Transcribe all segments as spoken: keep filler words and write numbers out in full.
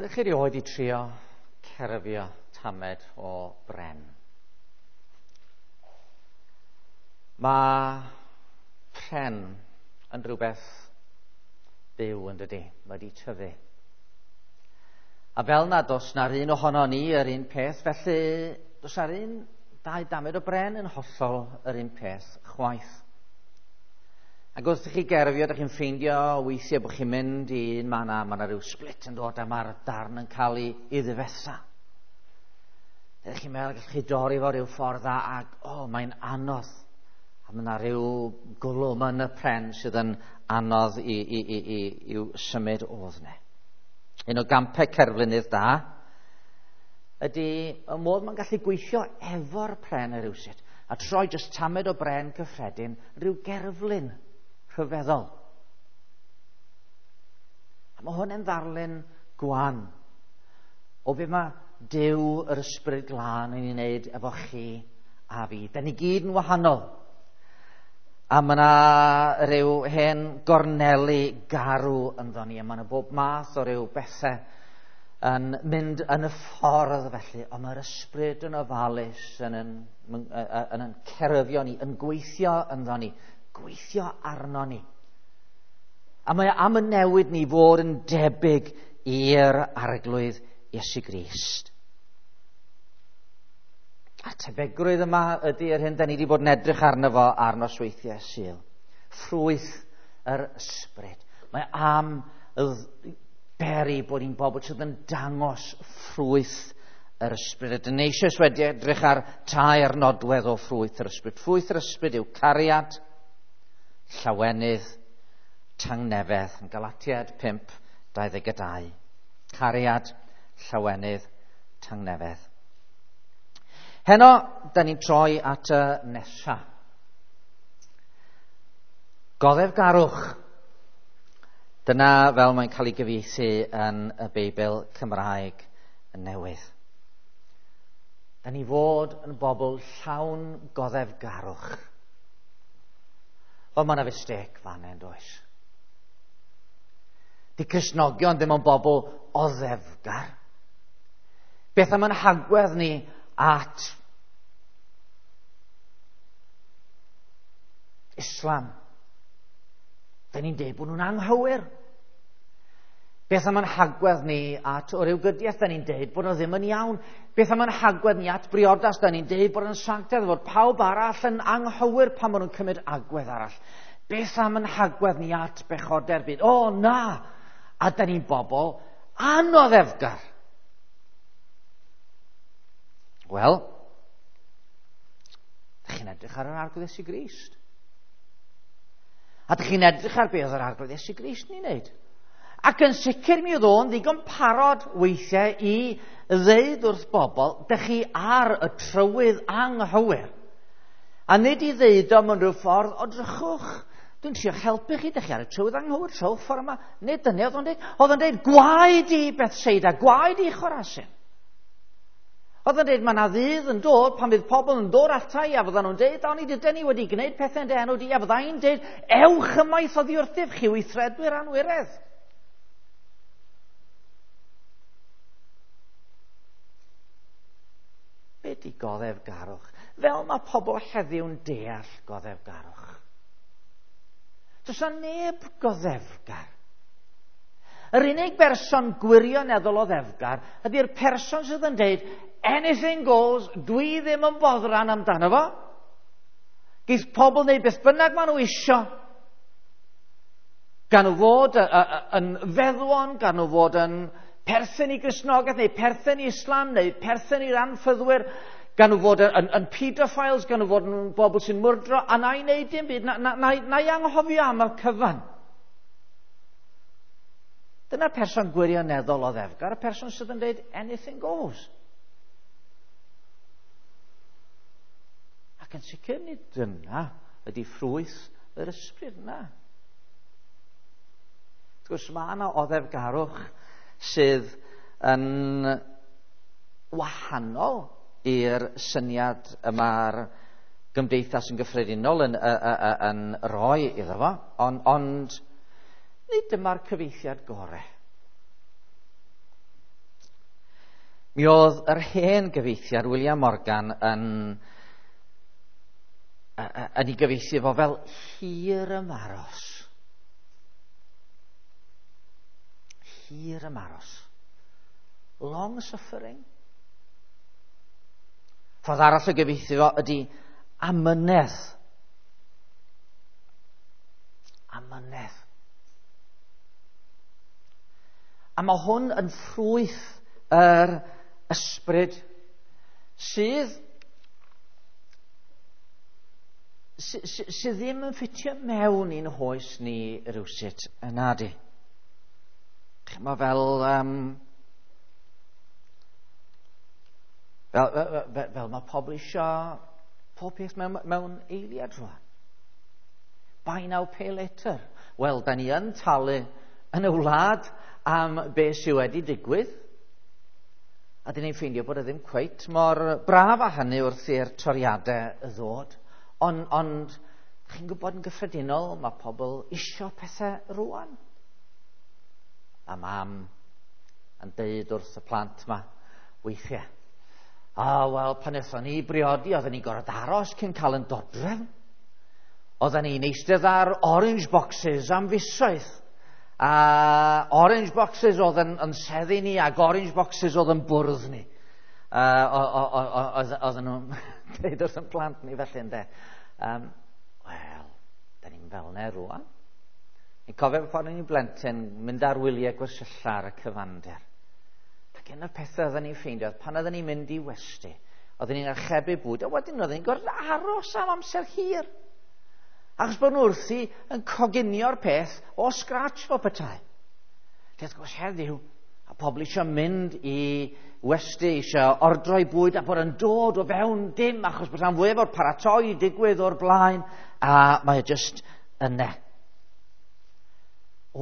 Ydych chi erioed i trio cerfio tamed o bren? Mae pren yn rhywbeth byw yn dydi, mae wedi tyfu. A fel na does na'r un ohono ni yr un peth, felly does na'r un dau damed o bren yn hollol yr un peth chwaith. Ac wrth i chi gerfio, ydych chi'n ffeindio weithiau bod chi'n mynd i un man a mae yna rhyw split yn dod a mae'r darn yn cael ei, ei ddifetha. Ydych chi'n meddwl gallwch chi dorri fo rhyw ffordd a, ac o, oh, mae'n anodd. A mae yna rhyw gwlwm yn y pren sydd yn anodd i, i, i, i, i'w symud o'dd ne. Un o gampau cerflunydd da ydy y modd mae'n gallu gweithio efo'r pren yr rywsut a troi jyst tamed o bren cyffredin rhyw gerflun rhyfeddol. A mae hwn yn ddarlun gwan o be mae Duw yr Ysbryd Glân yn ei wneud efo chi a fi. Da ni gyd yn wahanol. A mae yna rhyw hen gorneli garw ynddo ni, a mae yna bob math o ryw bethau yn mynd yn y ffordd felly, ond mae'r ysbryd yn ofalus, yn yn, yn, yn, yn cerfio ni, yn gweithio ynddo ni, gweithio arno ni. A mae am y newid ni fod yn debyg i'r Arglwydd Iesu Grist. A tebygrwydd yma ydy yr hyn da ni wedi bod yn edrych arno fo ar nosweithiau Sul. Ffrwyth yr ysbryd. Mae am beri bod ni'n bobl sydd yn dangos ffrwyth yr ysbryd. Ydyn ni eisoes wedi edrych ar tair nodwedd o ffrwyth yr ysbryd. Ffrwyth yr ysbryd yw cariad, llawenydd, tangnefedd. Yn Galatiaid pump dau ddeg dau. Cariad, llawenydd, tangnefedd. Heno, da ni'n troi at y nesa. Goddefgarwch. Dyna fel mae'n cael ei gyfieithu yn y Beibl Cymraeg newydd. Da ni fod yn bobl llawn goddefgarwch. Wel, mae yna fistêc fan hyn, does? Di Cristnogion ddim yn bobl oddefgar. Beth am yn hagwedd ni at Islam? Da ni'n deud bod nhw'n anghywir. Beth am yn hagwedd ni at o ryw gydiaeth? Da ni'n deud bod nhw ddim yn iawn. Beth am yn hagwedd ni at briodas? Da ni'n deud bod yn sanctaidd, fod pawb arall yn anghywir pan maen nhw'n cymryd agwedd arall. Beth am yn hagwedd ni at bechodau'r byd? O, na! A da ni'n bobl anoddefgar. Wel, da chi'n edrych ar yr Arglwydd Iesu Grist. A da chi'n edrych ar beth oedd yr Arglwydd Iesu Grist ni'n neud. Ac yn sicr mi oedd o'n ddigon parod weithiau i ddeud wrth bobl, da chi ar y trywydd anghywir. A nid i ddeud o mewn rhyw ffordd, o drychwch, dwi'n trio helpu chi, da chi ar y trywydd anghywir, trowch ffordd yma. Nid dyna oedd o'n deud. Oedd o'n deud, gwaed i Bethsaida, gwaed i Chorazin. Oedd o'n deud, mae yna ddydd yn dod pan fydd pobl yn dod ata i a fyddan nhw'n deud, o'n i dydyn ni wedi gwneud pethau yn dy enw di, a fydda i'n deud, ewch ymaith oddi wrthyf chi weithredwyr anwiredd. Be di goddefgarwch? Fel mae pobl heddiw'n deall goddefgarwch. Does yna neb goddefgar. Yr unig berson gwirioneddol oddefgar ydy'r person sydd yn deud, anything goes, dwi ddim yn boddran amdano fo. Geith pobl wneud beth bynnag maen nhw isio. Gan nhw fod yn feddwon, gan nhw fod yn perthyn i Gristnogaeth, neu perthyn i Islam, neu perthyn i'r anffyddwyr, gan nhw fod yn, yn pedophiles, gan nhw fod yn bobl sy'n mwrdro, a na i wneud dim byd, na, na, na, na i anghofio am y cyfan. Dyna'r person gwirioneddol oddefgar, y person sydd yn dweud anything goes. Ac yn sicr nid dyna ydy ffrwyth yr ysbryd yna. Wrth gwrs, mae yna oddefgarwch sydd yn wahanol i'r syniad y mae'r gymdeithas yn gyffredinol yn, yn, yn, yn rhoi iddo fo, ond, ond nid dyma'r cyfieithiad gorau. Mi oedd yr hen gyfieithiad William Morgan yn, yn ei gyfieithu fo fel hir ymaros. Hir ymaros. Long suffering. Ffordd arall o gyfieithu fo ydy amynedd. Amynedd. A mae hwn yn ffrwyth yr ysbryd sydd, sy, sydd ddim yn ffitio mewn i'n hoes ni rywsut yna di. Mae fel, um, fel, fel, fel, fel mae pobl eisiau pob peth mewn, mewn eiliad rwan. Buy now, pay later. Wel, da ni yn talu yn y wlad am beth sydd wedi digwydd. A dyn ni'n ffeindio bod e ddim cweit mor braf â hynny wrth i'r toriadau ddod. Ond, ond chi'n gwybod yn gyffredinol, mae pobl isio pethau rwan. A mam yn deud wrth y plant ma weithiau, a oh, wel, pan wnaethon ni briodi, oedden ni'n gorfod aros cyn cael yn dodrefn. Oedden ni'n eistedd ar orange boxes am fisoedd. A orange boxes oedd yn, yn seddi ni ac orange boxes oedd yn bwrdd ni. Uh, oedden nhw'n dweud wrth yn plant ni felly ynde. Um, Wel, da ni'n fel 'na rwan. Ni'n cofio pan o'n i'n blentyn mynd ar wyliau gwersylla ar y cyfandir. Ac un o'r pethau oedden ni'n ffeindio, pan oedden ni'n mynd i westy, oedden ni'n archebu bwyd, a wedyn oedden ni'n gorfod aros am amser hir. Achos bod nhw wrthi yn coginio'r peth o scratch fel petai. Lle wrth gwrs heddiw, a pobl eisiau mynd i westy, eisiau ordroi bwyd a bod yn dod o fewn dim, achos bod rhan fwyaf o'r paratoi digwydd o'r blaen, a mae o just yna.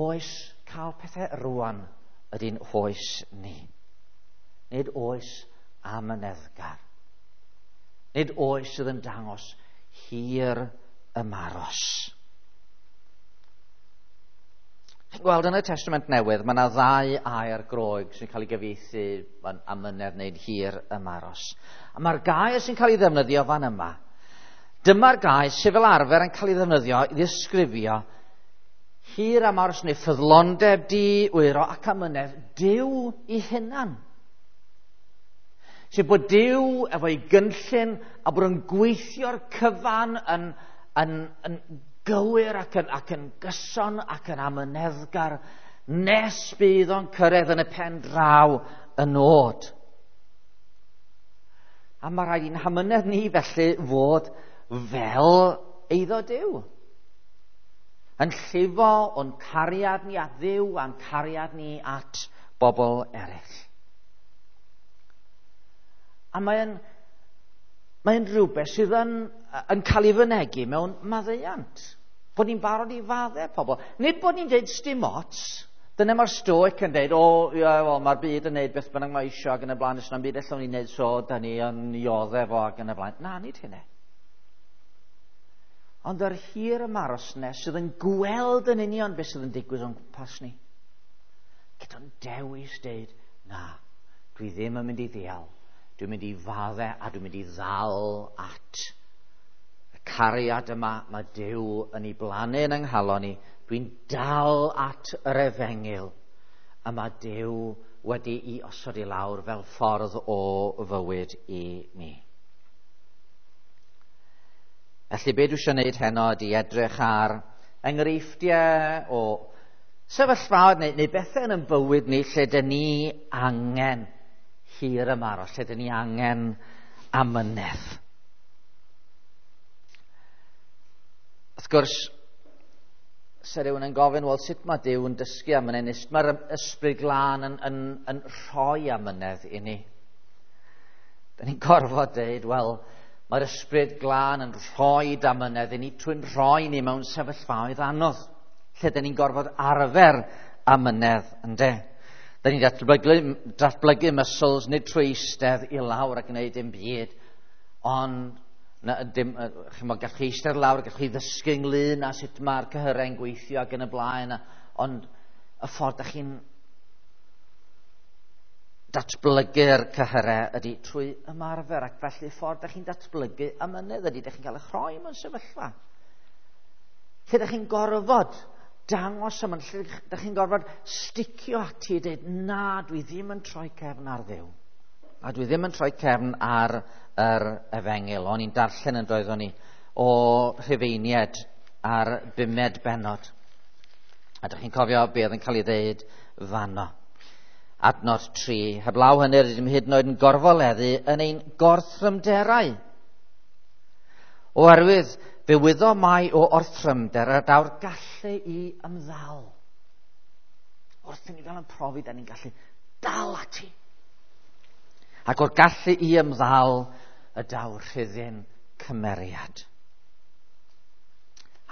Oes cael pethau rwan ydy'n oes ni. Nid oes amyneddgar. Nid oes sydd yn dangos hir ymaros. Chi'n gweld yn y Testament Newydd, mae yna ddau air Groeg sy'n cael ei gyfieithu yn amynedd neu'n hir ymaros. A mae'r gair sy'n cael ei ddefnyddio fan yma, dyma'r gair sydd fel arfer yn cael ei ddefnyddio i ddisgrifio hir ymaros neu ffyddlondeb di-wyro ac amynedd Duw i hunan. Sef bod Duw efo'i gynllun a bod yn gweithio'r cyfan yn, yn, yn gywir ac yn, ac yn gyson ac yn amyneddgar nes bydd o'n cyrraedd yn y pen draw y nod. A mae rhaid i'n hamynedd ni felly fod fel eiddo Duw. Yn llifo o'n cariad ni at Dduw a'n cariad ni at bobl eraill. A mae'n mae'n rhywbeth sydd yn, yn cael ei fynegi mewn maddeuant. Bod ni'n barod i faddau pobl. Nid bod ni'n deud sdim ots. Dyna mae'r stoic yn deud, o, ie, wel, mae'r byd yn neud beth bynnag mae isio ac yn y blaen, os na'n byd allwn ni'n neud so, da ni yn ioddef o ac yn y blaen. Na, nid hynny. Ond yr hir ymaros nes sydd yn gweld yn union beth sydd yn digwydd o'n gwmpas ni. Gyda'n dewis deud, na, dwi ddim yn mynd i ddial. Dwi'n mynd i faddau a dwi'n mynd i ddal at y cariad yma mae Duw yn ei blannu yn yng nghalon ni. Dwi'n dal at yr efengyl a mae Duw wedi'i osod i lawr fel ffordd o fywyd i mi. Felly be dwi eisiau gwneud heno ydy edrych ar enghreifftiau o sefyllfaoedd neu, neu bethau yn ein bywyd ni lle dyn ni angen hir ymaros, lle dyn ni angen amynedd. Wrth gwrs, se rhywun yn gofyn, wel, sut mae Duw yn dysgu amynedd, neu sut mae'r ysbryd glân yn, yn, yn rhoi amynedd i ni? Dyn ni'n gorfod deud, wel, mae'r ysbryd glân yn rhoi amynedd i ni trwy'n rhoi ni mewn sefyllfaoedd anodd, lle dyn ni'n gorfod arfer amynedd, ynde? Dyn ni'n datblygu, datblygu muscles, nid trwy eistedd i lawr a gwneud dim byd, ond na, dim, chymod, gallwch chi eistedd lawr, gallwch chi ddysgu ynglyn â sut mae'r cyhyrau'n gweithio ac yn y blaen, ond y ffordd da chi'n datblygu'r cyhyrau ydy trwy ymarfer, ac felly ffordd ydych chi'n datblygu amynedd ydy ydych chi'n cael eich rhoi mewn sefyllfa lle ydych chi'n gorfod dangos ymyn, lle ydych chi'n gorfod sticio ati i dweud, na, dwi ddim yn troi cefn ar Dduw. A dwi ddim yn troi cefn ar yr efengyl. O'n i'n darllen yn doeddwn ni o Rhufeiniaid ar bumed bennod. A ydych chi'n cofio be oedd yn cael ei ddeud fanno. Adnod tri, heblaw hynny rydym hyd yn oed yn gorfoleddu yn ein gorthrymderau. Oherwydd fe wyddo mai o orthrymder y daw'r gallu i ymddal. Wrth i ni gael yn profi, da ni'n gallu dal ati. Ac o'r gallu i ymddal y daw'r rhyddin cymeriad.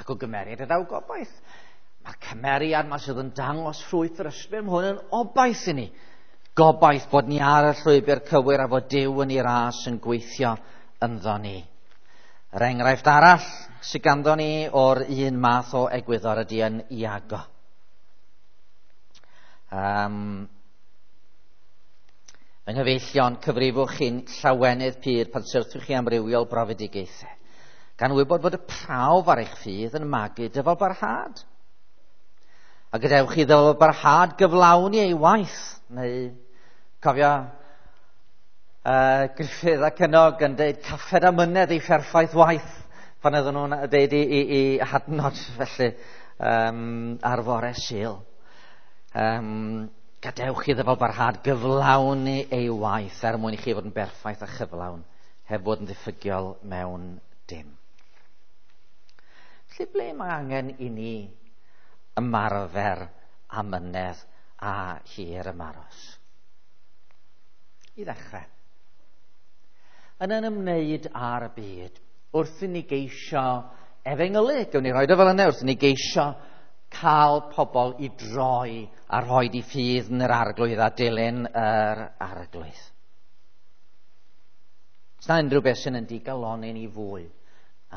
Ac o gymeriad y daw gobaith. Mae'r cymeriad yma sydd yn dangos ffrwyth yr ysbryd, mae hwn yn obaith i ni. Gobaith bod ni ar y llwybr cywir a fod Duw yn ei ras yn gweithio ynddo ni. Yr enghraifft arall sydd ganddo ni o'r un math o egwyddor ydy yn Iago. Um, Fy nghyfeillion, cyfrifwch chi'n llawenydd pur pan syrthiwch chi amrywiol brofedigaethau, gan wybod bod y prawf ar eich ffydd yn magu dyfalbarhad. A gadewch i ddyfalbarhad gyflawni ei waith. Neu, cofio, uh, Griffith a Cynog yn dweud caffed amynedd ei pherffaith waith pan oedden nhw'n dweud i, i, i hadnod felly um, ar fore Sul. Um, gadewch i ddyfalbarhad gyflawni ei waith er mwyn i chi fod yn berffaith a chyflawn, heb fod yn ddiffygiol mewn dim. Felly ble mae angen i ni ymarfer amynedd a hir ymaros? I ddechrau, yn yn ymwneud â'r byd, wrth i ni geisio efengylu, gawn ni roed o fel yna, wrth i ni geisio cael pobl i droi a rhoi di ffydd yn yr Arglwydd a dilyn yr Arglwydd. Os na unrhyw beth sy'n yn digalonni ni fwy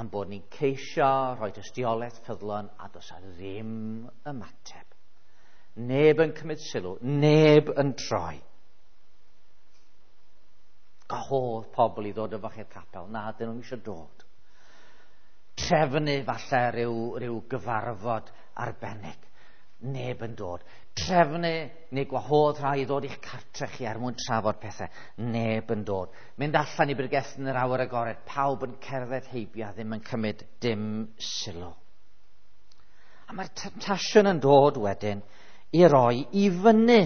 am bod ni'n ceisio rhoi tystiolaeth ffyddlon a does a ddim ymateb. Neb yn cymryd sylw, neb yn troi. Gwahodd pobl i ddod efo chi'r capel, na, dyn nhw'n eisiau dod. Trefnu falle rhyw, rhyw gyfarfod arbennig, neb yn dod. Trefnu neu gwahodd rhai i ddod i'ch cartre chi er mwyn trafod pethau, neb yn dod. Mynd allan i bregethu yn yr awyr agored, pawb yn cerdded heibio a ddim yn cymryd dim sylw. A mae'r temtasiwn yn dod wedyn i roi i fyny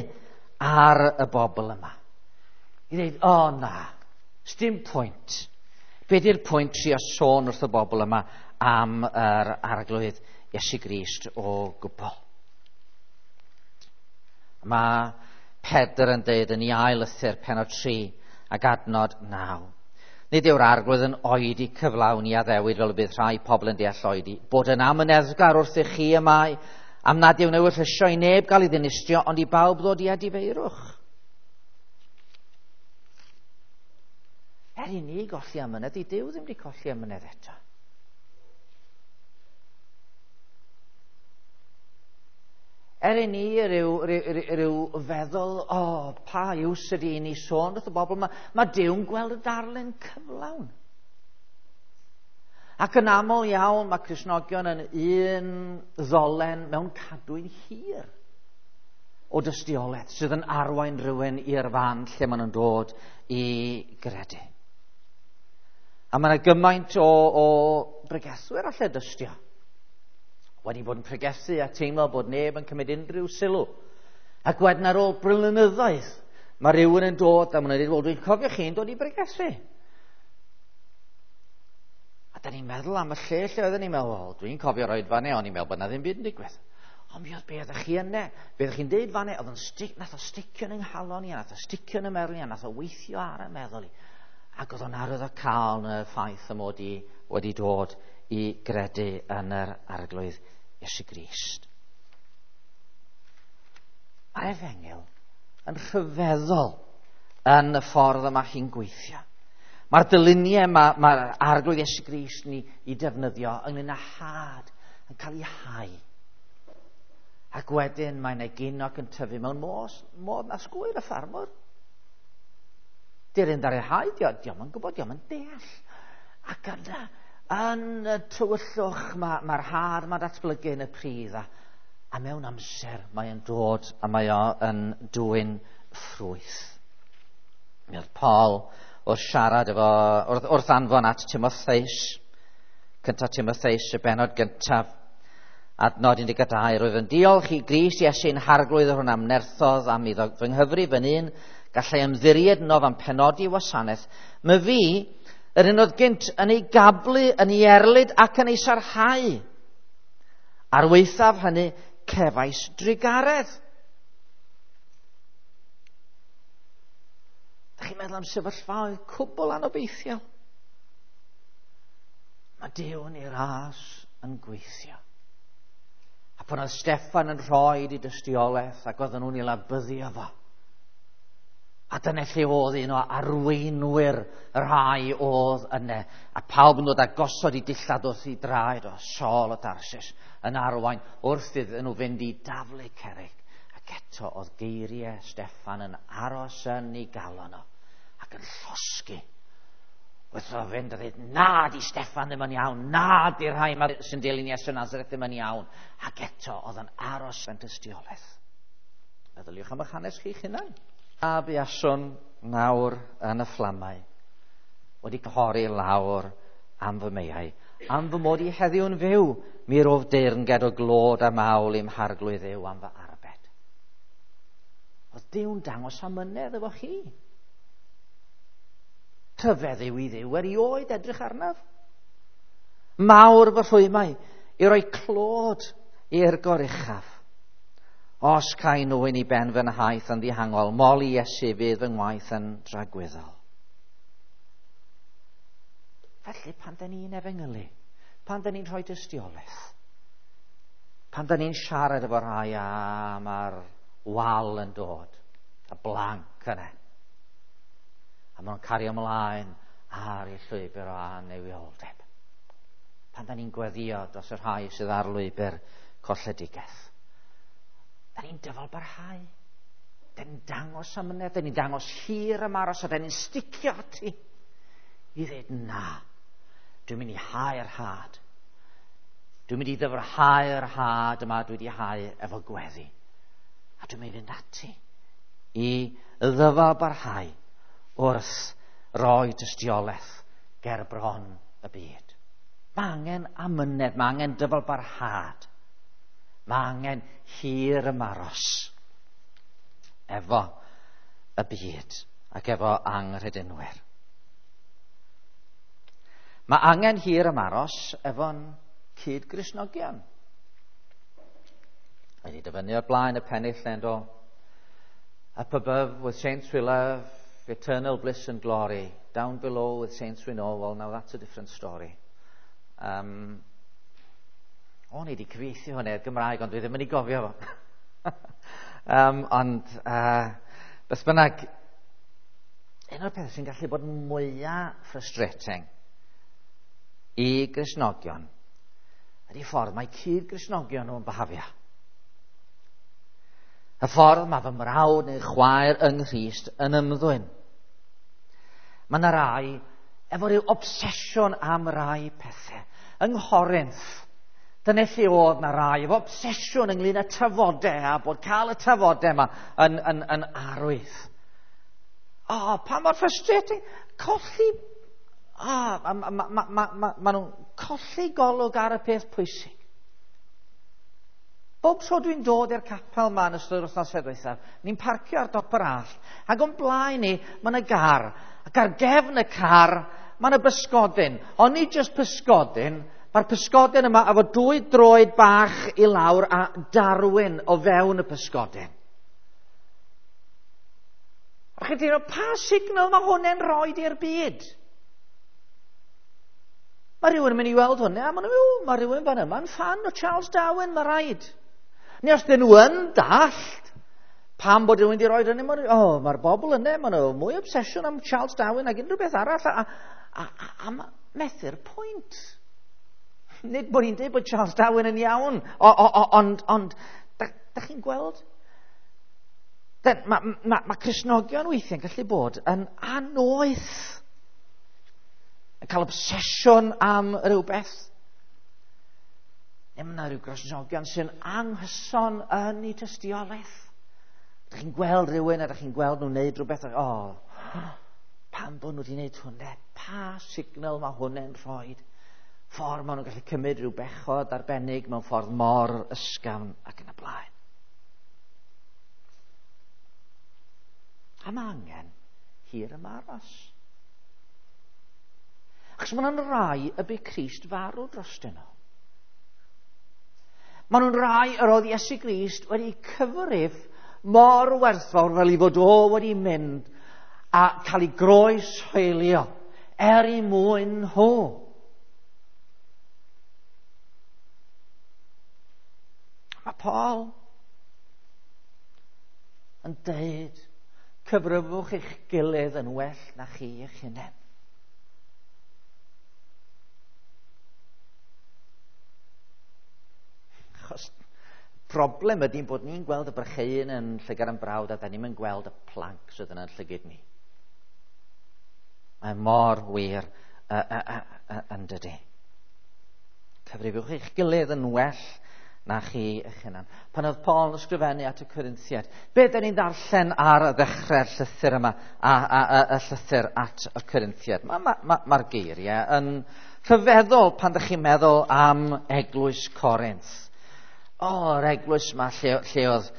ar y bobl yma. I ddweud, o oh, na, sdim pwynt. Be di'r pwynt trio sôn wrth y bobl yma am yr Arglwydd Iesu Grist o gwbl? Mae Pedr yn dweud yn ei ail lythyr pennod tri ac adnod naw. Nid yw'r Arglwydd yn oedi cyflawni addewid fel y bydd rhai pobl yn deall oedi, bod yn amyneddgar wrth i chi y mae, am nad yw'n ewyllysio i neb gael ei ddinistrio, ond i bawb ddod i edifeirwch. Er i ni golli amynedd, i Duw ddim wedi colli amynedd eto. Er i ni ryw, ryw, ryw feddwl, o, oh, pa iws ydy i ni sôn wrth y bobl yma, mae Duw'n gweld y darlun cyflawn. Ac yn aml iawn mae Cristnogion yn un ddolen mewn cadwyn hir o dystiolaeth sydd yn arwain rhywun i'r fan lle maen nhw'n dod i gredu. A mae yna gymaint o, o bregethwyr alle dystio wedi bod yn pregethu a teimlo bod neb yn cymryd unrhyw sylw. Ac wedyn ar ôl blynyddoedd, mae rhywun yn dod a maen nhw'n dweud, wel, dwi'n cofio chi'n dod i bregethu. A da ni'n meddwl am y lle lle oedden ni'n meddwl, wel, dwi'n cofio'r oedfa neu, o'n i'n meddwl bod na ddim byd yn digwydd. Ond mi oedd be oeddech chi yna, be oeddech chi'n deud fanne, oedd yn stic, nath o sticio yn nghalon i, a nath o sticio yn y meddwl i, a nath o weithio ar y meddwl i. Ac oedd o'n arwydd o cael yn y ffaith y mod i wedi dod i gredu yn yr Arglwydd Iesu Grist. Mae'r efengyl yn rhyfeddol yn y ffordd yma chi'n gweithio. Mae'r dyluniau mae'r ma Arglwydd Iesu Grist ni i defnyddio ynglyn â had yn cael ei hau. Ac wedyn mae'n egino ac yn tyfu mewn modd, modd na sgwyr y ffarmwr. Di'r un dar ei hau, dio'm yn gwybod, dio'm yn deall. Ac yna, yn y tywyllwch, mae'r ma had mae'n datblygu yn y pridd, a, a mewn amser mae'n dod a mae o yn dwyn ffrwyth. Mi oedd Paul wrth siarad efo, wrth, wrth anfon at Timotheus, cyntaf Timotheus, y bennod gyntaf, adnod un deg dau, roedd yn diolch i Grist Iesu'n harglwydd hwn am nerthodd am iddo fy nghyfrif yn un, gallai ymddiried yno am penodi wasanaeth. My fi, yr un oedd gynt yn ei gablu, yn ei erlid ac yn ei sarhau. Ar waethaf hynny, cefais drugaredd. Dach chi'n meddwl am sefyllfaoedd cwbl anobeithiol? Mae Duw yn ei ras yn gweithio. A pan oedd Steffan yn rhoi i dystiolaeth ac oedden nhw'n ei labyddio fo. A dyna lle oedd un o arweinwyr y rhai oedd yna. A pawb yn dod a gosod i dillad wrth i draed o Saul o Tarsus yn arwain wrth iddyn nhw fynd i daflu cerrig. Ac eto oedd geiriau Steffan yn aros yn ei galon o ac yn llosgi. Wrth o fynd a dweud, na di Steffan ddim yn iawn, na di'r rhai yma sy'n dilyn Iesu Nazareth ddim yn iawn. Ac eto oedd yn aros yn tystiolaeth. Meddyliwch am eich hanes chi'ch hunan. A buaswn nawr yn y fflamau, wedi cyhori lawr am fy meiau, am fy mod i heddiw'n fyw, mi rof deyrnged o glod a mawl i'm harglwydd Dduw am fy arbed. Oedd Duw'n dangos amynedd efo chi. Rhyfedd yw i Dduw erioed edrych arnaf. Mawr fy rhwymau i roi clod i'r goruchaf. Os cae nwyn i ben fy nhaith yn ddihangol, moli Iesu fydd fy ngwaith yn dragwyddol. Felly pan da ni'n efengylu, pan da ni'n rhoi dystiolaeth, pan da ni'n siarad efo rhai a mae'r wal yn dod, y blanc yna, a maen nhw'n cario ymlaen ar eu llwybr o annuwioldeb. Pan da ni'n gweddio dros y rhai sydd ar lwybr colledigaeth, da ni'n dyfal barhau. Da ni'n dangos amynedd, da ni'n dangos hir ymaros, a da ni'n sticio ati i ddweud na, dwi'n mynd i hau'r had. Dwi'n mynd i ddyfrhau'r had yma dwi wedi hau efo gweddi. A dwi'n mynd i fynd ati i ddyfal barhau wrth roi tystiolaeth ger bron y byd. Mae angen amynedd, mae angen dyfal barhad. Mae angen hir ymaros efo y byd ac efo anghredinwyr. Mae angen hir ymaros efo'n cyd-Gristnogion. Wedi dyfynnu o'r blaen y pennill endo. Up above with saints we love, eternal bliss and glory. Down below with saints we know, well now that's a different story. Um, O'n i wedi cyfieithu hwnna i'r Gymraeg, ond dwi ddim yn ei gofio fo. um, ond, uh, beth bynnag, un o'r pethau sy'n gallu bod mwyaf frustrating i Gristnogion ydy ffordd mae cyd-Gristnogion nhw'n behafio. Y ffordd mae fy mrawd neu chwaer yng Nghrist yn ymddwyn. Mae yna rai efo rhyw obsesiwn am rai pethau. Yng Nghorinth, dyna lle oedd na rai efo obsesiwn ynglyn â tafodau a bod cael y tafodau yma yn, yn, yn arwydd. O, oh, pa mor frustrating. Colli, o, oh, ma, ma, ma, ma, ma, ma nhw'n colli golwg ar y peth pwysig. Bob tro dwi'n dod i'r capel yma yn ystod yr wythnos ddiwethaf, ni'n parcio ar dop yr allt, ac o'n blaen ni, mae yna gar, ac ar gefn y car, mae yna bysgodyn. Ond nid jyst pysgodyn, mae'r pysgodyn yma efo dwy droed bach i lawr a darwyn o fewn y pysgodyn. A chi'n teimlo, pa signal mae hwnna'n rhoi i'r byd? Mae rhywun yn mynd i weld hwnna, a maen nhw'n mynd, mae rhywun fan yma'n ffan o Charles Darwin, mae rhaid. Neu os dyn nhw yn dallt, pam bod rhywun wedi rhoi hynny, maen nhw, oh, mae'r bobl yna, maen nhw mwy obsesiwn am Charles Darwin ag unrhyw beth arall, a, a, a, a, a methu'r pwynt. Nid bod ni'n dweud bod Charles Darwin yn iawn, o, o, o, ond, ond da, da chi'n gweld? Mae ma, ma Cristnogion weithiau'n gallu bod yn annoeth, yn cael obsesiwn am rhywbeth. Neu mae yna rhyw Gristnogion sy'n anghyson yn eu tystiolaeth. Ydych chi'n gweld rhywun a ydych chi'n gweld nhw'n neud rhywbeth, o, oh, pam bod nhw wedi gwneud hwnna? Pa signal mae hwnna'n rhoi? Ffordd maen nhw'n gallu cymryd rhyw bechod arbennig mewn ffordd mor ysgafn ac yn y blaen. A mae angen hir ymaros. Achos maen nhw'n rai y bu Crist farw drostyn nhw. Maen nhw'n rai yr oedd Iesu Grist wedi cyfrif mor werthfawr fel i fod o wedi mynd a cael ei groes hoelio er i mwyn nhw. Mae Paul yn deud, cyfrifwch eich gilydd yn well na chi eich hunain. Achos problem ydy'n bod ni'n gweld y brycheuyn yn llygad yn brawd a da ni'n yn gweld y planc sydd yn yn llygad ni. Mae mor wir uh, uh, uh, uh, yn dydy. Cyfrifwch eich gilydd yn well na chi eich hunan. Pan oedd Paul yn ysgrifennu at y Corinthiaid, be da ni'n ddarllen ar ddechrau'r llythyr yma, a, a, a, y llythyr at y Corinthiaid? Mae'r ma, ma, ma geiriau yn rhyfeddol pan ydych chi'n meddwl am eglwys Corinth. O, yr eglwys yma lle, lle oedd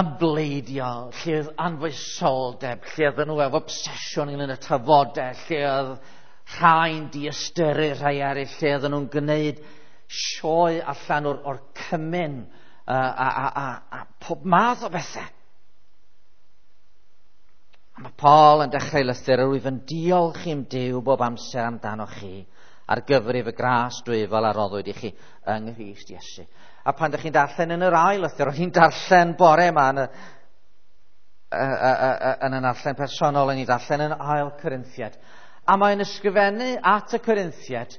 ymbleidio, lle oedd anfoesoldeb, lle oedd nhw efo obsesiwn ynglyn â tafodau, lle oedd rhai'n diystyru rhai eraill, lle oedd nhw'n gwneud sioe allan o'r, or cymun uh, a, a, a, a pob math o bethau. A mae Paul yn dechrau lythyr, yr wyf yn diolch i'm Duw bob amser amdanoch chi ar gyfrif y gras dwyfol a roddwyd i chi yng Nghrist Iesu. A pan ydych chi'n darllen yn yr ail lythyr, o'n i'n darllen bore yma yn y, y, y, y, yn y darllen personol, o'n i'n darllen yn ail Corinthiaid. A mae'n ysgrifennu at y Corinthiaid,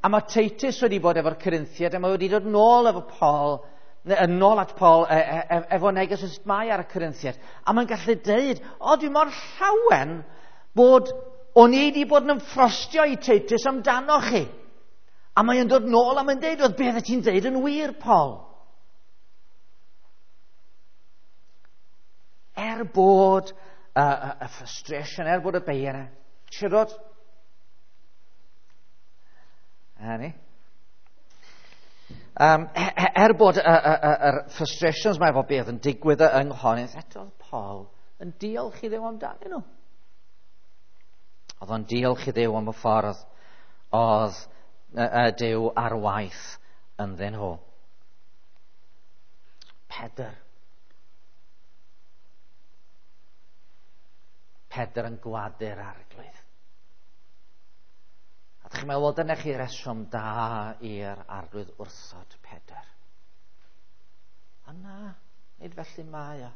a mae Titus wedi bod efo'r Corinthiaid, a mae wedi dod nôl efo Paul, yn nôl at Paul e, e, e, efo neges yn mae ar y Corinthiaid. A mae'n gallu deud, o, dwi mor llawen bod o'n i wedi bod yn ymffrostio i Titus amdano chi. A mae'n dod nôl a mae'n deud, oedd beth ti'n deud yn wir, Paul? Er bod y, y, y frustration, er bod y bei yna, siarad. A ni. Um, er bod y, y, y, y frustrations mae efo beth yn digwydd yng Nghorinth, eto oedd Paul yn diolch i Dduw amdanyn nhw. Oedd o'n diolch i Dduw am y ffordd oedd y Duw ar waith ynddyn nhw. Pedr. Pedr yn gwadu'r Arglwydd. A ddech chi'n meddwl, wel, dyna chi reswm da i'r Arglwydd wrthod Pedr. Ond na, nid felly mae o.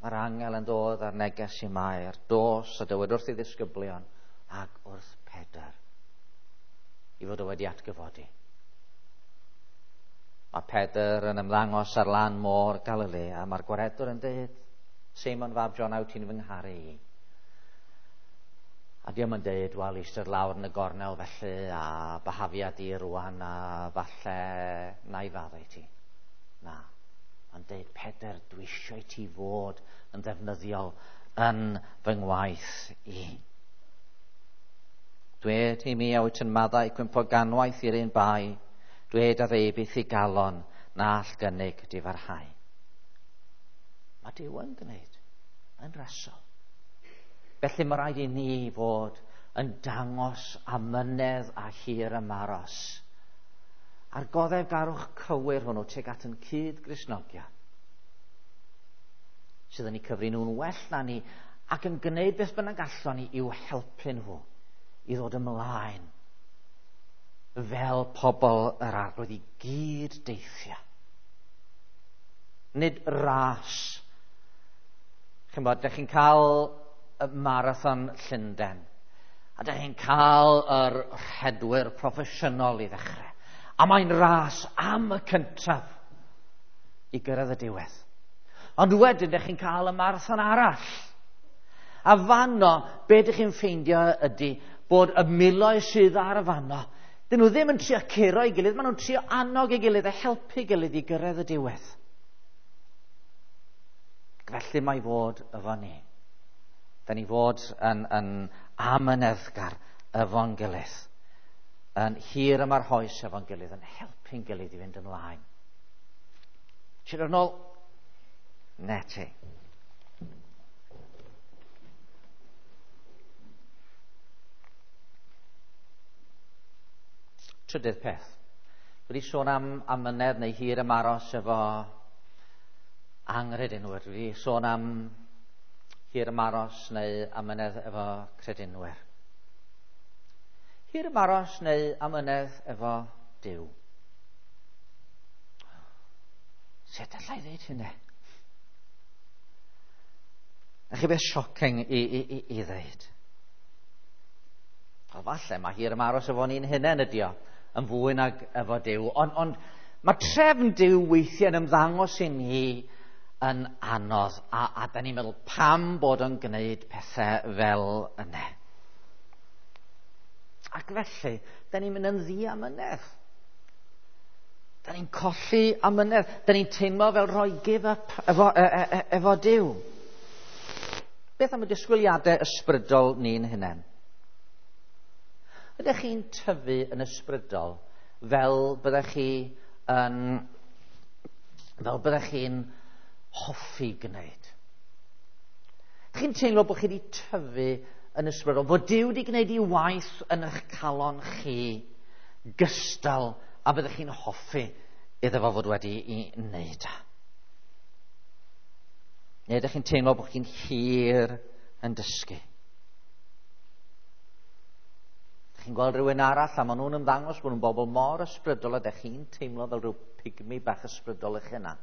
Mae'r angel yn dod ar neges i Mair, dos a dywed wrth ei ddisgyblion ac wrth Pedr i fod o wedi atgyfodi. Mae Pedr yn ymddangos ar lan môr Galilea, a mae'r gwaredwr yn dweud, Seimon fab John, wyt ti'n fy ngharu i? A diom yn dweud, wel, eistedd lawr yn y gornel felly, a bahafia di rwan, a falle na i faddau ti. Na. Mae'n dweud, Pedr, dwi eisiau ti fod yn ddefnyddiol yn fy ngwaith i. Dwed i mi a wyt yn maddau cwympo ganwaith i'r un bai, dwed a ddeubith i galon na all gynnig difarhau. Mae Duw yn gwneud yn rasol. Felly mae rhaid i ni fod yn dangos amynedd a hir ymaros a'r goddefgarwch cywir hwnnw tuag at yn cyd-Gristnogion sydd yn eu cyfri nhw'n well na ni ac yn gwneud beth bynnag allwn ni i'w helpu nhw i ddod ymlaen fel pobl yr Arglwydd i gyd deithio. Nid ras. Ch'mod, dych chi'n cael y marathon Llundain a dych chi'n cael yr rhedwyr proffesiynol i ddechrau. A mae'n ras am y cyntaf i gyrraedd y diwedd. Ond wedyn, ydych chi'n cael y marathon arall. A fanno, be ydych chi'n ffeindio ydy bod y miloedd sydd ar y fanno, dyn nhw ddim yn trio curo ei gilydd, maen nhw'n trio annog ei gilydd a helpu ei gilydd i gyrraedd y diwedd. Felly mae fod efo ni. Da ni fod yn, yn amyneddgar efo'n gilydd, yn hir ymarhous efo'n gilydd, yn helpu'n gilydd i fynd ymlaen. Ti'n dod nôl? Ne ti. Trydydd peth. Wedi sôn am amynedd neu hir ymaros efo anghredinwyr. Wedi sôn am hir ymaros neu amynedd efo credinwyr. Hir ymaros neu amynedd efo Duw. Sut allai ddeud hynny? Na chi beth shocking i, i, i, i ddeud. O, falle mae hir ymaros efo ni'n hunain ydi o, yn fwy nag efo Duw. Ond, ond mae trefn Duw weithiau yn ymddangos i ni yn anodd, a, a da ni'n meddwl pam bod o'n gwneud pethau fel yna. Ac felly, da ni'n mynd yn ddiamynedd. Da ni'n colli amynedd. Da ni'n teimlo fel rhoi give up efo, e, e, e, efo Duw. Beth am y disgwyliadau ysbrydol ni'n hunain? Ydych chi'n tyfu yn ysbrydol fel byddech chi yn, fel byddech chi'n hoffi gwneud? Chi'n teimlo bod chi wedi tyfu yn ysbrydol, bod Duw wedi gwneud ei waith yn eich calon chi gystal a byddech chi'n hoffi iddo fo fod wedi ei wneud. Neu ydych chi'n teimlo bod chi'n hir yn dysgu? Chi'n gweld rhywun arall a maen nhw'n ymddangos bod nhw'n bobl mor ysbrydol a ydych chi'n teimlo fel rhyw pygmy bach ysbrydol eich hunan.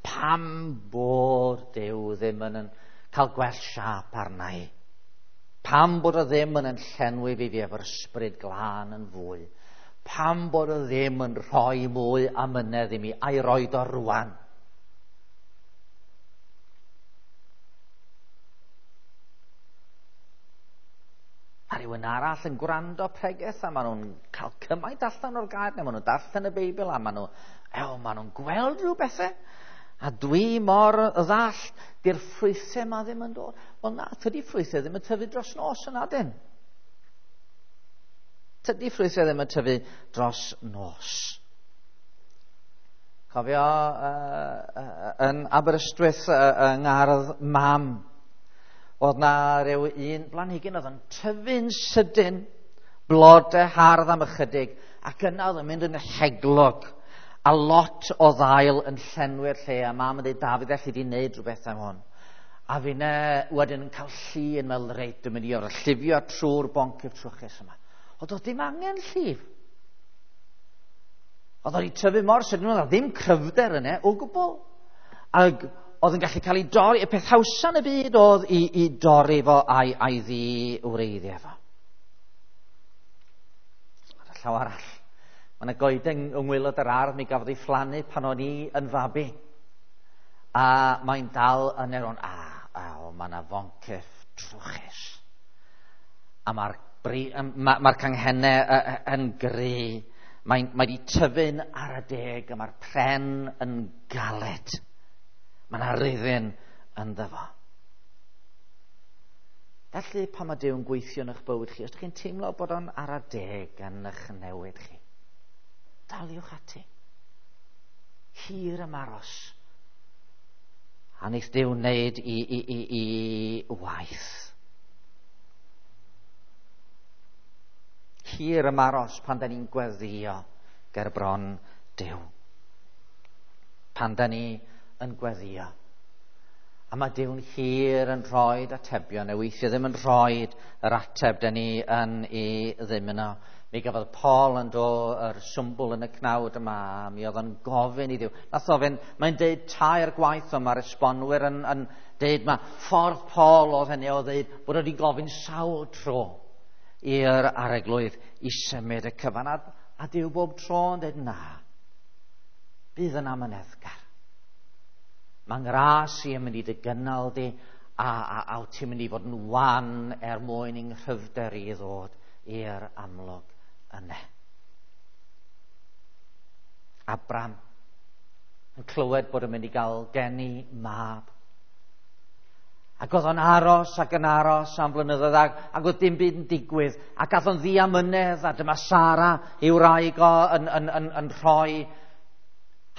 Pam bod Duw ddim yn, yn cael gwell siâp arna i? Pam bod o ddim yn yn llenwi fi fi efo'r ysbryd glân yn fwy? Pam bod o ddim yn rhoi mwy amynedd i mi a'i roed o rwan? A rhywun arall yn gwrando pregeth a maen nhw'n cael cymaint allan o'r gair, neu maen nhw'n darllen y Beibl a maen nhw, ew, maen nhw'n gweld rhyw bethau. A dwi mor ddall, di'r ffrwythau ma ddim yn dod. Wel na, tydi ffrwythau ddim yn tyfu dros nos yna dyn. Tydi ffrwythau ddim yn tyfu dros nos. Cofio uh, uh, yn Aberystwyth uh, yng ngardd mam, oedd na rhyw un blanhigyn oedd yn tyfu'n sydyn, blodau hardd am ychydig, ac yna oedd yn mynd yn heglog, a lot o ddail yn llenwi'r lle, a mam yn dweud, Dafydd, elli di wneud rhywbeth am hwn. A finne wedyn yn cael llu yn meddwl, reit, dwi'n mynd i orfod llifio trwy'r boncyff trwchus yma. Oedd oedd dim angen llif. Oedd oedd tyfu mor sydyn, oedd ddim cryfder yna o gwbl. Ac oedd yn gallu cael ei dorri, y peth hawsa yn y byd oedd i, i dorri fo a'i, a'i ddi-wreiddio fo. Ar y llaw arall, mae yna goeden yng ngwaelod yr ardd, mi gafodd ei phlannu pan o'n i yn fabi. A mae'n dal yn eron, a, a o, mae yna foncyff trwchus. A mae'r ma, ma canghennau yn gry. Mae'n mae wedi tyfu'n ar y deg, a mae'r pren yn galed. Mae yna ryddyn ynddo fo. Felly, pan mae Duw yn gweithio yn eich bywyd chi, os ydych chi'n teimlo bod o'n ar y deg yn eich newid chi, daliwch ati. Hir ymaros. A wneith Duw wneud i, i, i, i waith. Hir ymaros pan da ni'n gweddïo ger bron Duw. Pan da ni yn gweddïo. A mae Duw'n hir yn rhoi atebion, neu weithiau ddim yn rhoi yr ateb da ni yn ei ddymuno. Mi gafodd Paul yn do yr swmbwl yn y cnawd yma, mi oedd o'n gofyn i Dduw. Nath ofyn, mae'n deud tair gwaith o mae'r esbonwyr yn, yn deud ma ffordd Paul oedd hynny o ddeud bod wedi gofyn sawl tro i'r arglwydd i symud y cyfan. A, a Duw bob tro yn deud na, bydd yn amyneddgar. Mae ngras i yn mynd i dy gynnal di, a, a, a wyt ti'n mynd i fod yn wan er mwyn i'n nghryfder i ddod i'r amlwg yna. Abram yn clywed bod yn mynd i gael geni mab. Ac oedd o'n aros ac yn aros am flynyddoedd ac, ac oedd dim byd yn digwydd. Ac ath o'n ddiamynedd, a dyma Sara ei wraig o yn, yn, yn, yn rhoi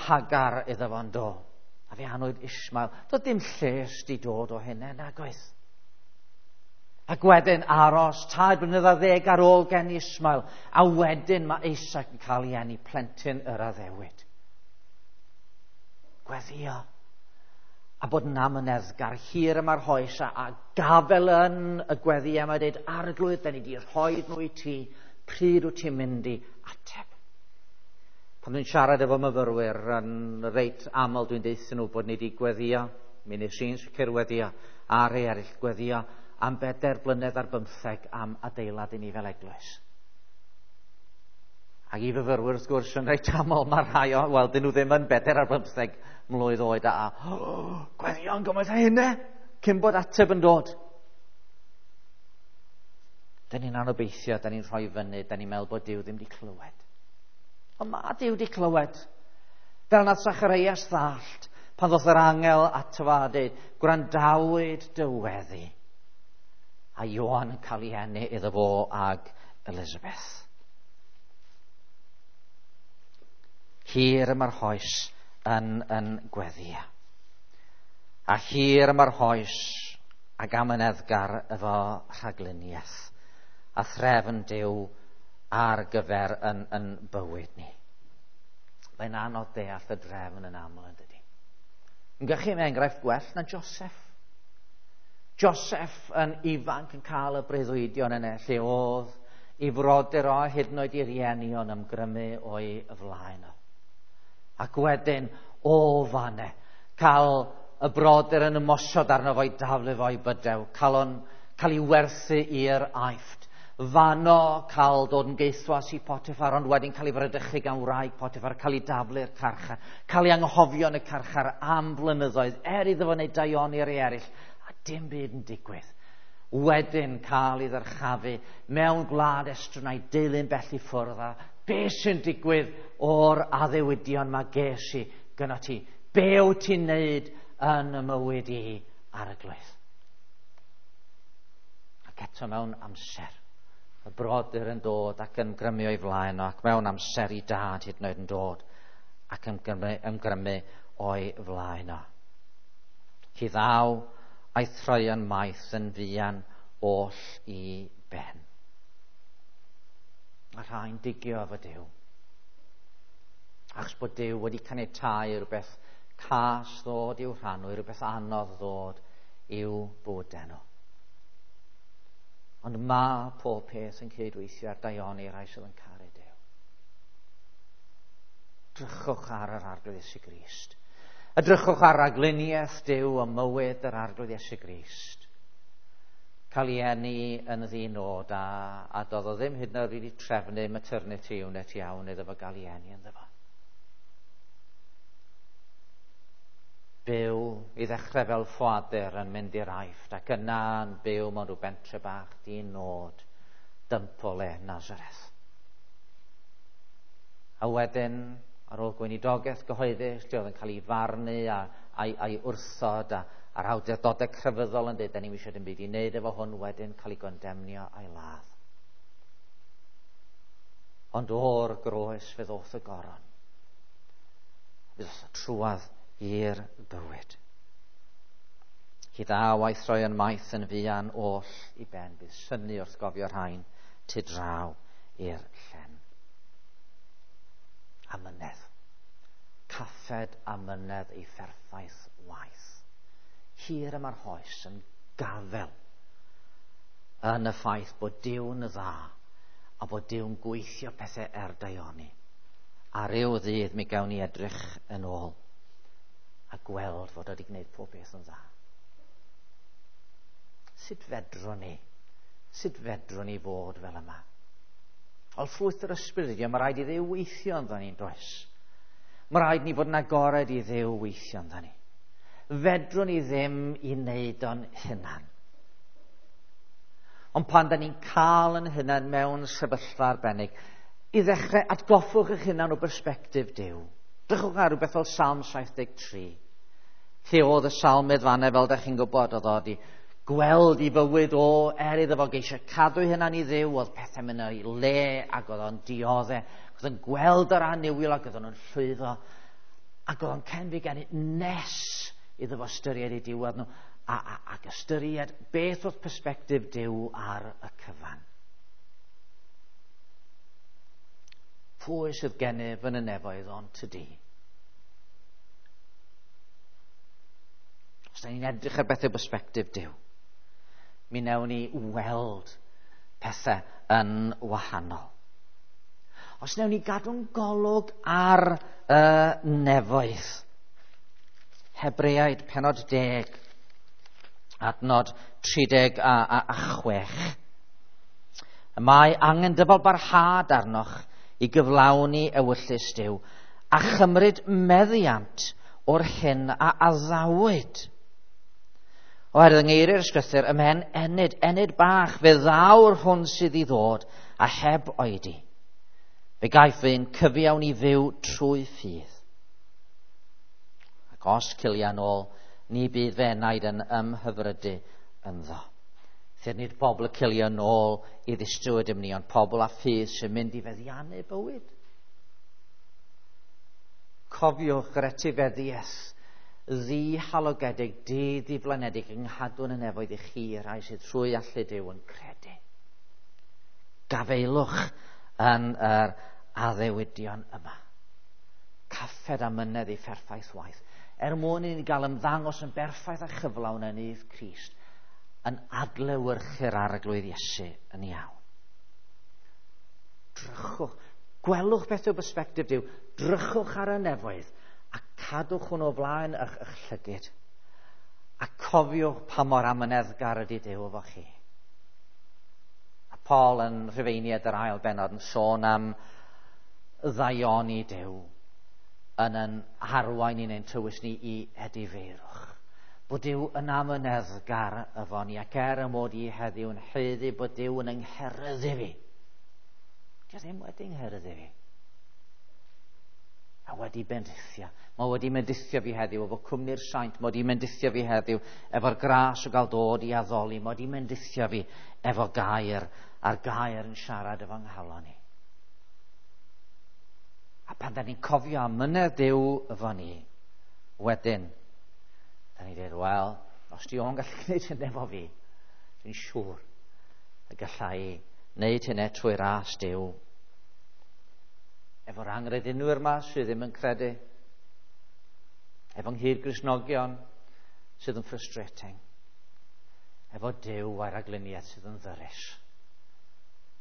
Hagar iddo fo'n do. A fe anwyd Ismael. Doedd dim lles di dod o hynny, nag oedd. Ac wedyn aros tair blynedd ar ddeg ar ôl geni Ismael. A wedyn mae Isaac yn cael ei eni, plentyn yr addewid. Gweddio. A bod yn amyneddgar hir yma'r hoes a, a gafel yn y gweddi yma dweud, Arglwydd, da ni di rhoi nhw i ti, pryd wyt ti'n mynd i ateb? Pan dwi'n siarad efo myfyrwyr, yn reit aml dwi'n deutha nhw bod ni wedi gweddio, mi nes i'n sicr weddio, a rhai eraill gweddio am bedair blynedd ar bymtheg am adeilad i ni fel eglwys. Ac i fyfyrwyr, wrth gwrs, yn reit aml, mae rhai o, wel, dyn nhw ddim yn bedair ar bymtheg mlwydd oed a, a oh, gweddio'n gymaint â hynny, cyn bod ateb yn dod. Dyn ni'n anobeithio, dyn ni'n rhoi fyny, dyn ni'n meddwl bod Duw ddim wedi clywed. Ond mae Duw wedi clywed. Fel nath Zacharias ddallt, pan ddoth yr angel ato fo a dweud, gwrandawyd dy weddi. A Ioan yn cael ei eni iddo fo ag Elizabeth. Hir yma'r hoes yn, yn gweddio. A hir yma'r hoes ag amyneddgar efo rhagluniaeth a threfn Duw ar gyfer yn, yn bywyd ni. Mae'n anodd deall y drefn yn aml, yn dydi. Yn gychu mewn enghraifft gwell na Joseph. Joseph yn ifanc yn cael y breuddwydion yna, lle oedd ei frodyr o hyd yn oed ei rieni o'n ymgrymu o'i flaen o. Ac wedyn, o fanne, cael y brodyr yn ymosod arno fo'i daflu fo'i bydew, cael, on, cael ei werthu i'r Aifft. Fano cael dod yn geithwas i Potiphar, ond wedyn cael ei fradychu gan wraig Potiphar, cael ei daflu'r carchar, cael ei anghofio yn y carchar am blynyddoedd, er iddo fo wneud daioni ar ei eraill, a dim byd yn digwydd. Wedyn cael ei ddyrchafu mewn gwlad estron a'i deulu'n bell i ffwrdd, a be sy'n digwydd o'r addewidion mae ges i gyda ti? Be wyt ti'n neud yn y mywyd i ar y glwydd? Ac eto mewn amser, y brodyr yn dod ac yn grymu o'i flaen o, ac mewn amser i dad hyd yn oed yn dod ac yn grymu, ymgrymu o'i flaen o. Hi ddaw a'i throion maith yn fuan oll i ben. Mae rhai'n digio efo Duw. Achos bod Duw wedi caniatáu rhywbeth cas ddod i'w rhan nhw, rhywbeth anodd ddod i'w bywydau nhw. Ond mae pob peth yn cydweithio ar daioni rhai sydd yn caru Duw. Drychwch ar yr Arglwydd Iesu Grist. Edrychwch ar ragluniaeth Duw a mywyd yr Arglwydd Iesu Grist. Cael ei eni yn ddinod a, a doedd o ddim hyd yn oed wedi trefnu maternity unit iawn iddo fo gael ei eni ynddo fo. Byw i ddechrau fel ffoadur yn mynd i'r Aifft ac yna yn byw mewn rhyw bentre bach di-nod, dymp o le Nazareth. A wedyn, ar ôl gweinidogaeth gyhoeddus, lle oedd yn cael ei farnu a, a'i, a'i wrthod a, a'r awdurdodau crefyddol yn dweud, da ni'm eisiau dim byd i wneud efo hwn, wedyn cael ei gondemnio a'i ladd. Ond o'r groes fe ddoth y goron. Fe ddoth y trwadd i'r bywyd. Hi ddaw a'i throion maith yn fuan oll i ben. Bydd synnu wrth gofio rhain tu draw i'r llen. Amynedd. Caffed amynedd ei pherffaith waith. Hir yma'r hoes yn gafel yn y ffaith bod Duw'n dda a bod Duw'n gweithio pethau er daioni. A ryw ddydd mi gawn ni edrych yn ôl a gweld fod wedi gwneud pob beth yn dda. Sut fedrwn ni? Sut fedrwn ni fod fel yma? Ond ffrwyth yr ysbryd ydi, mae rhaid i Dduw weithio ynddo ni'n does. Mae rhaid ni fod yn agored i Dduw weithio ynddo ni. Fedrwn ni ddim i wneud o'n hunan. Ond pan da ni'n cael yn hunan mewn sefyllfa arbennig, i ddechrau atgoffwch eich hunan o bersbectif Duw. Drychwch ar rhywbeth fel Salm saith deg tri. Lle oedd y salmydd fanna, fel da chi'n gwybod, oedd o wedi gweld i fywyd o, er iddo fo geisio cadw ei hunan i Dduw, oedd pethau'n mynd o'i le ac oedd o'n dioddef. Oedd o'n gweld yr annuwiol ac oedd o'n llwyddo. Ac oedd o'n cenfigennu nes iddo fo ystyried ei diwedd nhw a, a, ac ystyried beth oedd persbectif Duw ar y cyfan. Pwy sydd gennyf yn y nefoedd ond tydi? Os da ni'n edrych ar bethau persbectif Duw, mi wnawn ni weld pethau yn wahanol. Os wnawn ni gadw'n golwg ar y nefoedd, Hebreaid penod deg, adnod tri deg a, a, a chwech. Y mae angen dyfal barhad arnoch i gyflawni ewyllys Duw a chymryd meddiant o'r hyn a addawyd. Oherwydd yng ngeiriau'r Ysgrythur, ymhen ennyd, ennyd bach, fe ddaw'r hwn sydd i ddod a heb oedi. Fe gaiff un cyfiawn i fyw trwy ffydd. Ac os cilia nôl, ni bydd fe enaid yn ymhyfrydu ynddo. Felly nid pobl y cilia nôl i ddistryw ydym ni, ond pobl a ffydd sy'n mynd i feddiannu bywyd. Cofiwch yr etifeddiaeth ddihalogedig, di-ddiflanedig yng nghadw'n y nefoedd i chi, rhai sydd trwy allu Duw yn credu. Gafeilwch yn yr addewidion yma. Caffed a mynedd ei pherffaith waith. Er mwyn i ni gael ymddangos yn berffaith a chyflawn yn nydd Crist, yn adlewyrchu'r Arglwydd Iesu yn iawn. Drychwch, gwelwch beth yw bersbectif Duw, drychwch ar y nefoedd, a cadwch hwn o flaen eich, eich llygid. A cofiwch pa mor amyneddgar ydy Duw efo chi. A Paul yn Rhufeiniaid yr ail bennod yn sôn am ddaioni Duw yn yn harwain ni'n ein tywys ni i edifeirwch. Bod Duw yn amyneddgar efo ni, ac er y mod i heddiw yn haeddu bod Duw yn yngheryddu fi. Dio ddim wedi ngheryddu fi. A wedi bendithio. Mae wedi mendithio fi heddiw efo cwmni'r saint. Mae wedi mendithio fi heddiw efo'r gras o gael dod i addoli. Mae wedi mendithio fi efo gair, a'r gair yn siarad efo nghalon i. A pan da ni'n cofio am mynedd Duw efo ni, wedyn, da ni'n dweud, wel, os di o'n gallu gwneud hynny efo fi, dwi'n siŵr y gallai wneud hynny trwy ras Duw. Efo'r anghredinwyr yma sydd ddim yn credu, efo'n nghyd-Gristnogion sydd yn frustrating, efo Duw a'r rhagluniaeth sydd yn ddyrus.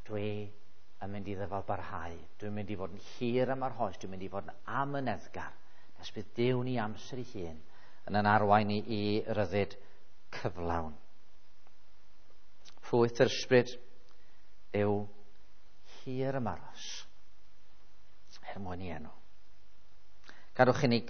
Dwi yn mynd i ddyfal barhau, dwi'n mynd i fod yn hir am yr hoes, dwi'n mynd i fod yn amyneddgar, nes bydd Duw ni amser ei hun yn yn arwain ni i ryddid cyflawn. Ffrwyth yr ysbryd yw hir ymaros, er mwyn i enw. Gadwch i ni